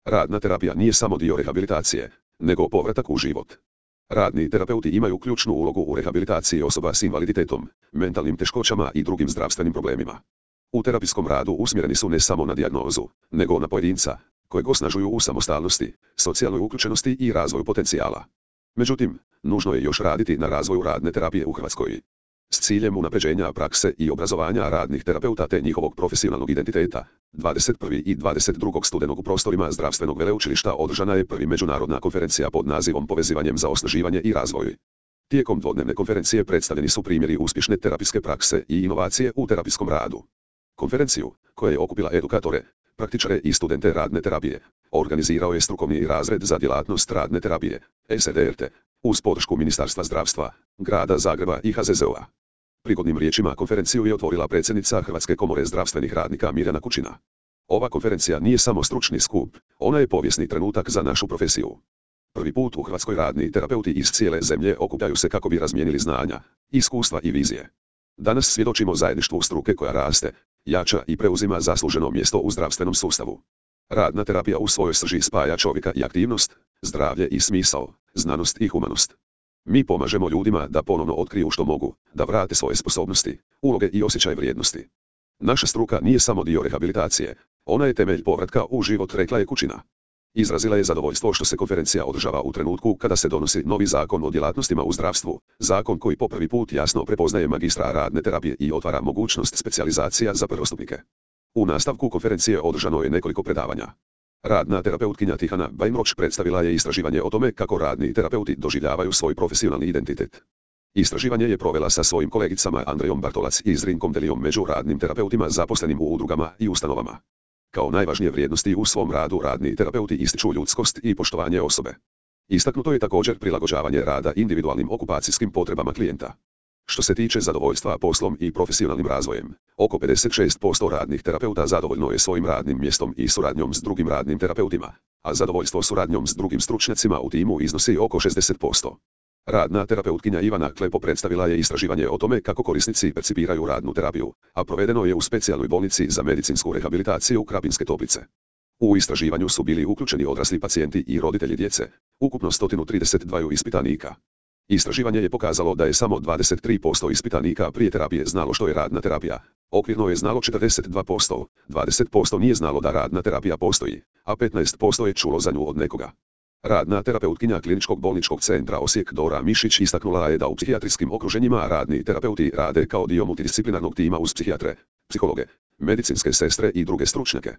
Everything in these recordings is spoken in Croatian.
Radna terapija nije samo dio rehabilitacije, nego povratak u život. Radni terapeuti imaju ključnu ulogu u rehabilitaciji osoba s invaliditetom, mentalnim teškoćama i drugim zdravstvenim problemima. U terapijskom radu usmjereni su ne samo na dijagnozu, nego na pojedinca, kojeg osnažuju u samostalnosti, socijalnoj uključenosti i razvoju potencijala. Međutim, nužno je još raditi na razvoju radne terapije u Hrvatskoj. S ciljem unapređenja prakse i obrazovanja radnih terapeuta te njihovog profesionalnog identiteta, 21. i 22. studenog u prostorima Zdravstvenog veleučilišta održana je prvi međunarodna konferencija pod nazivom Povezivanjem za osnaživanje i razvoj. Tijekom dvodnevne konferencije predstavljeni su primjeri uspješne terapijske prakse i inovacije u terapijskom radu. Konferenciju, koja je okupila edukatore, praktičare i studente radne terapije, organizirao je strukovni razred za djelatnost radne terapije, SDRT, uz podršku Ministarstva zdravstva, Grada Zagreba i HZZO-a. Prigodnim riječima konferenciju je otvorila predsjednica Hrvatske komore zdravstvenih radnika Mirjana Kučina. Ova konferencija nije samo stručni skup, ona je povijesni trenutak za našu profesiju. Prvi put u Hrvatskoj radni terapeuti iz cijele zemlje okupljaju se kako bi razmijenili znanja, iskustva i vizije. Danas svjedočimo zajedništvu struke koja raste, jača i preuzima zasluženo mjesto u zdravstvenom sustavu. Radna terapija u svojoj srži spaja čovjeka i aktivnost, zdravlje i smisao, znanost i humanost. Mi pomažemo ljudima da ponovno otkriju što mogu, da vrate svoje sposobnosti, uloge i osjećaj vrijednosti. Naša struka nije samo dio rehabilitacije, ona je temelj povratka u život, rekla je Kučina. Izrazila je zadovoljstvo što se konferencija održava u trenutku kada se donosi novi zakon o djelatnostima u zdravstvu, zakon koji po prvi put jasno prepoznaje magistra radne terapije i otvara mogućnost specijalizacija za prvostupnike. U nastavku konferencije održano je nekoliko predavanja. Radna terapeutkinja Tihana Bajmroč predstavila je istraživanje o tome kako radni terapeuti doživljavaju svoj profesionalni identitet. Istraživanje je provela sa svojim kolegicama Andrejom Bartolac i Zrinkom Delijom među radnim terapeutima zaposlenim u udrugama i ustanovama. Kao najvažnije vrijednosti u svom radu radni terapeuti ističu ljudskost i poštovanje osobe. Istaknuto je također prilagođavanje rada individualnim okupacijskim potrebama klijenta. Što se tiče zadovoljstva poslom i profesionalnim razvojem, oko 56% radnih terapeuta zadovoljno je svojim radnim mjestom i suradnjom s drugim radnim terapeutima, a zadovoljstvo suradnjom s drugim stručnjacima u timu iznosi oko 60%. Radna terapeutkinja Ivana Klepo predstavila je istraživanje o tome kako korisnici percipiraju radnu terapiju, a provedeno je u specijalnoj bolnici za medicinsku rehabilitaciju Krapinske Toplice. U istraživanju su bili uključeni odrasli pacijenti i roditelji djece, ukupno 132 ispitanika. Istraživanje je pokazalo da je samo 23% ispitanika prije terapije znalo što je radna terapija, okvirno je znalo 42%, 20% nije znalo da radna terapija postoji, a 15% je čulo za nju od nekoga. Radna terapeutkinja Kliničkog bolničkog centra Osijek Dora Mišić istaknula je da u psihijatrijskim okruženjima radni terapeuti rade kao dio multidisciplinarnog tima uz psihijatre, psihologe, medicinske sestre i druge stručnjake.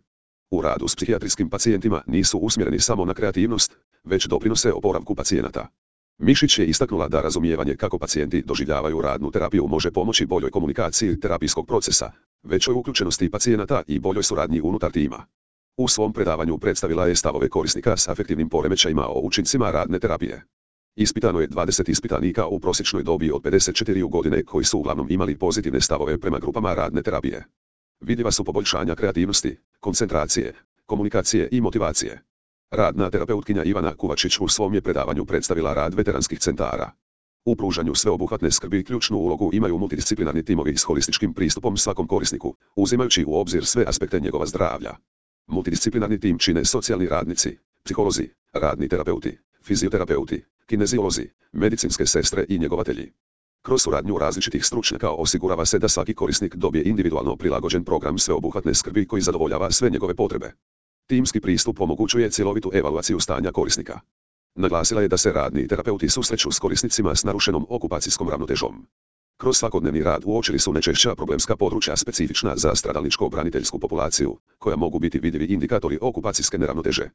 U radu s psihijatrijskim pacijentima nisu usmjereni samo na kreativnost, već doprinose oporavku pacijenata. Mišić je istaknula da razumijevanje kako pacijenti doživljavaju radnu terapiju može pomoći boljoj komunikaciji terapijskog procesa, većoj uključenosti pacijenata i boljoj suradnji unutar tima. U svom predavanju predstavila je stavove korisnika s afektivnim poremećajima o učincima radne terapije. Ispitano je 20 ispitanika u prosječnoj dobi od 54 godine koji su uglavnom imali pozitivne stavove prema grupama radne terapije. Vidljiva su poboljšanja kreativnosti, koncentracije, komunikacije i motivacije. Radna terapeutkinja Ivana Kuvačić u svom je predavanju predstavila rad veteranskih centara. U pružanju sveobuhvatne skrbi ključnu ulogu imaju multidisciplinarni timovi s holističkim pristupom svakom korisniku, uzimajući u obzir sve aspekte njegova zdravlja. Multidisciplinarni tim čine socijalni radnici, psiholozi, radni terapeuti, fizioterapeuti, kineziolozi, medicinske sestre i njegovatelji. Kroz suradnju različitih stručnjaka osigurava se da svaki korisnik dobije individualno prilagođen program sveobuhvatne skrbi koji zadovoljava sve njegove potrebe. Timski pristup omogućuje cjelovitu evaluaciju stanja korisnika. Naglasila je da se radni terapeuti susreću s korisnicima s narušenom okupacijskom ravnotežom. Kroz svakodnevni rad uočili su najčešća problemska područja specifična za stradalničko-braniteljsku populaciju, koja mogu biti vidljivi indikatori okupacijske neravnoteže.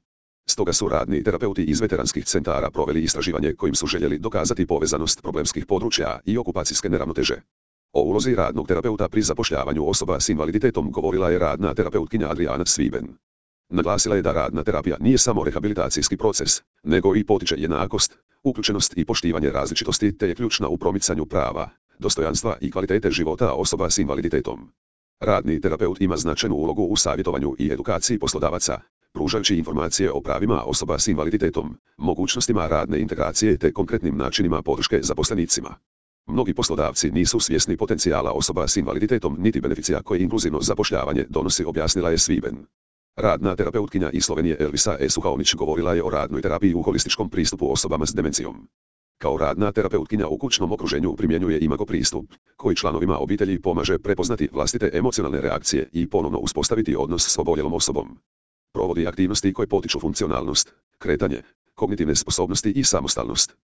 Stoga su radni terapeuti iz veteranskih centara proveli istraživanje kojim su željeli dokazati povezanost problemskih područja i okupacijske neravnoteže. O ulozi radnog terapeuta pri zapošljavanju osoba s invaliditetom govorila je radna terapeutkinja Adriana Sviben. Naglasila je da radna terapija nije samo rehabilitacijski proces, nego i potiče jednakost, uključenost i poštivanje različitosti te je ključna u promicanju prava, dostojanstva i kvalitete života osoba s invaliditetom. Radni terapeut ima značajnu ulogu u savjetovanju i edukaciji poslodavaca, pružajući informacije o pravima osoba s invaliditetom, mogućnostima radne integracije te konkretnim načinima podrške zaposlenicima. Mnogi poslodavci nisu svjesni potencijala osoba s invaliditetom niti beneficija koje inkluzivno zapošljavanje donosi, objasnila je Sviben. Radna terapeutkinja iz Slovenije Elvisa E. Suhaonić govorila je o radnoj terapiji u holističkom pristupu osobama s demencijom. Kao radna terapeutkinja u kućnom okruženju primjenjuje imago pristup, koji članovima obitelji pomaže prepoznati vlastite emocionalne reakcije i ponovno uspostaviti odnos s oboljelom osobom. Provodi aktivnosti koje potiču funkcionalnost, kretanje, kognitivne sposobnosti i samostalnost.